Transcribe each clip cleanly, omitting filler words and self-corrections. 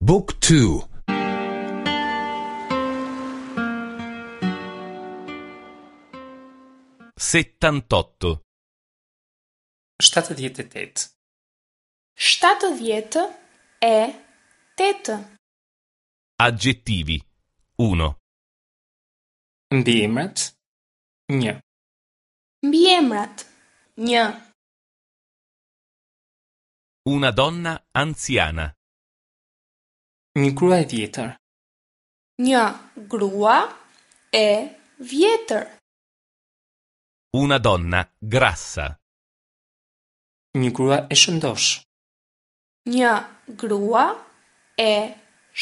บุ๊กทู 78. 78. 78. Aggettivi. 1. Mbiemrat. 1. Mbiemrat. 1. Una donna anziana. Një grua e vjetër. Një grua e vjetër. Una donna grassa. Një grua e shëndoshë. Një grua e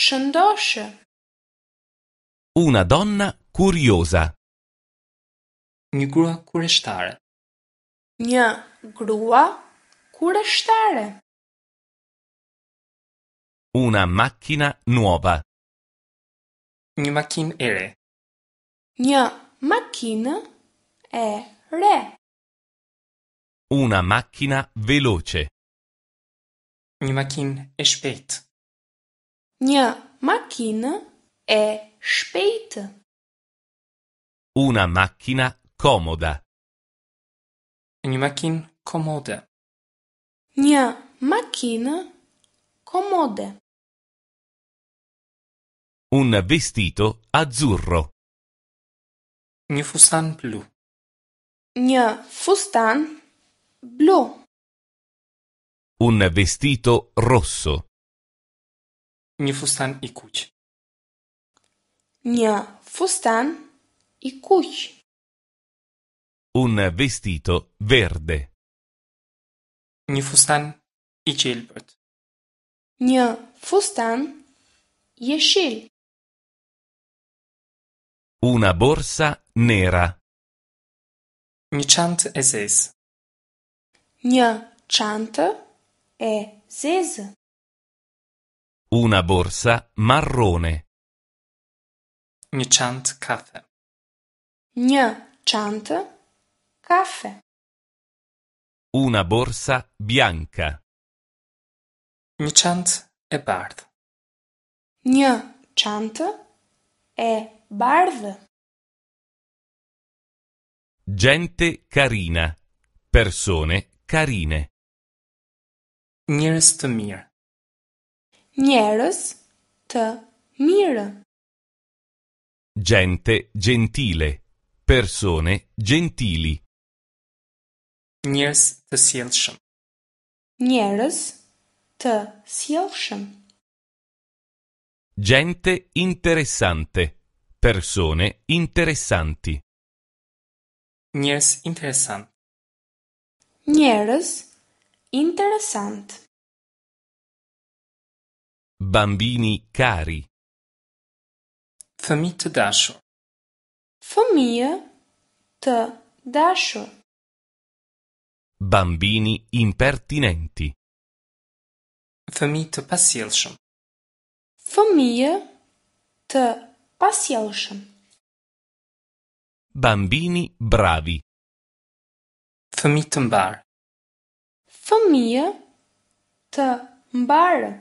shëndoshë. Una donna curiosa. Një grua kureshtare. Një grua kureshtare. Una macchina nuova. Një makinë e re. Një makinë e re. Una macchina veloce. Një makinë e shpejtë. Një makinë e shpejtë. Una macchina comoda. Një makinë komode. Një makinë komode. Un vestito azzurro. Një fustan blu. Një fustan blu. Un vestito rosso. Një fustan i kuq. Një fustan i kuq. Un vestito verde. Një fustan i gjelbërt. Një fustan jeshil. Una borsa nera. Një çantë e zezë. Një çantë e zezë. Una borsa marrone. Një çantë kafe. Një çantë kafe. Una borsa bianca. Një çantë e bardhë. Një çantë e bardhë. Gente carina. Persone carine. Njerëz të mirë. Njerëz të mirë. Gente gentile. Persone gentili. Njerëz të sjellshëm. Njerëz të sjellshëm. Gente interessante. Persone interessanti. Njerëz interesant. Njerëz interesant. Bambini cari. Fëmijë të dashur. Fëmijë të dashur. Bambini impertinenti. Fëmijë të pasjellshëm. Fëmijë të pasjellshëm. Bambini bravi. Fëmijë të mbarë. Fëmijë të mbarë.